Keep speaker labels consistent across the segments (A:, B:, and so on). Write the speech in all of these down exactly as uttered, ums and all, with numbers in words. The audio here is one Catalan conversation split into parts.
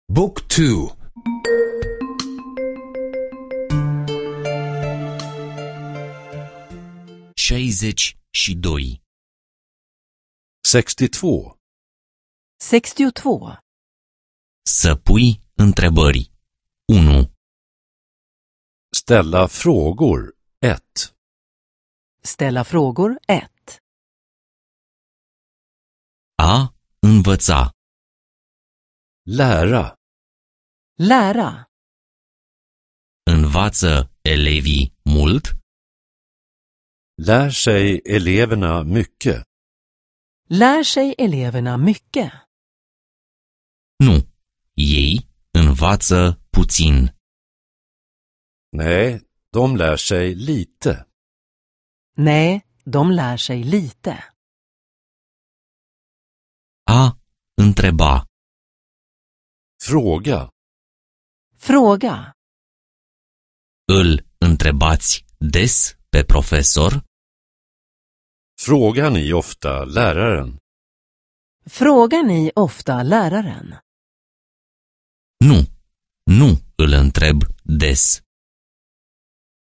A: Book two.
B: șaizeci și doi.
C: sextiotvå.
D: sextiotvå.
B: Să pui întrebări. unu.
C: Ställa frågor. ett.
D: Ställa frågor ett.
B: A învăța.
C: Lära.
D: Lära.
B: Învață elevii mult?
C: Lär sig eleverna mycket?
D: Lär sig eleverna mycket?
B: Nu. Ei învață puțin.
C: Nej, de lär sig lite.
D: Nej, de lär sig lite.
B: A întreba.
C: Fråga.
D: Fråga.
B: Îl întrebați des pe profesor?
C: Frågar ni ofta läraren?
D: Frågar ni ofta läraren?
B: Nu. Nu îl întreb des.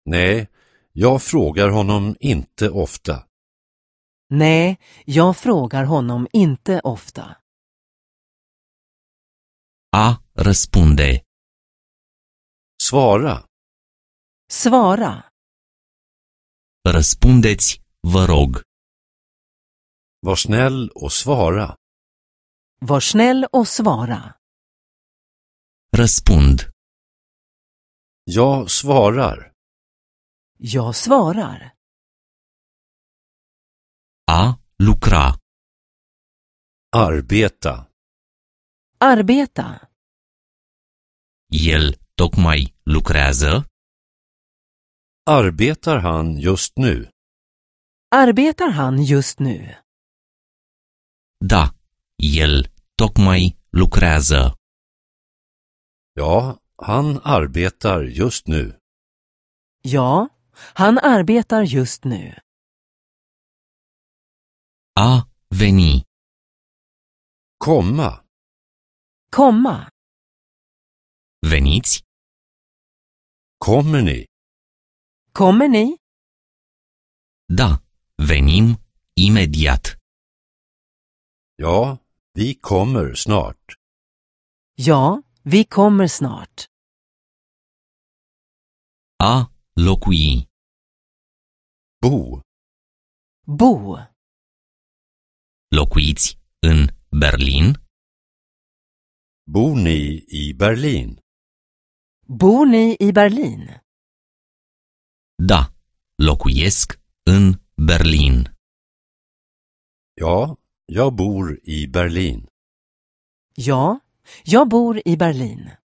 C: Nej, jag frågar honom inte ofta.
D: Nej, jag frågar honom inte ofta.
B: A răspunde.
C: Svara.
D: Svara.
B: Răspundeți, vă rog.
C: Var snäll och svara.
D: Var snäll och svara.
B: Răspund.
C: Jag svarar.
D: Jag svarar.
B: A lucra.
C: Arbeta.
D: Arbeta.
B: El tocmai lucrează?
C: Arbetar han just nu?
D: Arbetar han just nu?
B: Da, el tocmai lucrează.
C: Ja, han arbetar just nu.
D: Ja, han arbetar just nu.
B: A veni.
C: Komma.
D: Komma.
B: Veniți?
C: Kommer ni?
D: Kommer ni?
B: Da, venim imediat.
C: Ja, vi kommer snart.
D: Ja, vi kommer snart.
B: A locui.
C: Bo.
D: Bo.
B: Locuiți în Berlin?
C: Bor ni i Berlin?
D: Bor ni i Berlin?
B: Da, locuiesc în Berlin.
C: Ja, jag bor i Berlin.
D: Ja, jag bor i Berlin.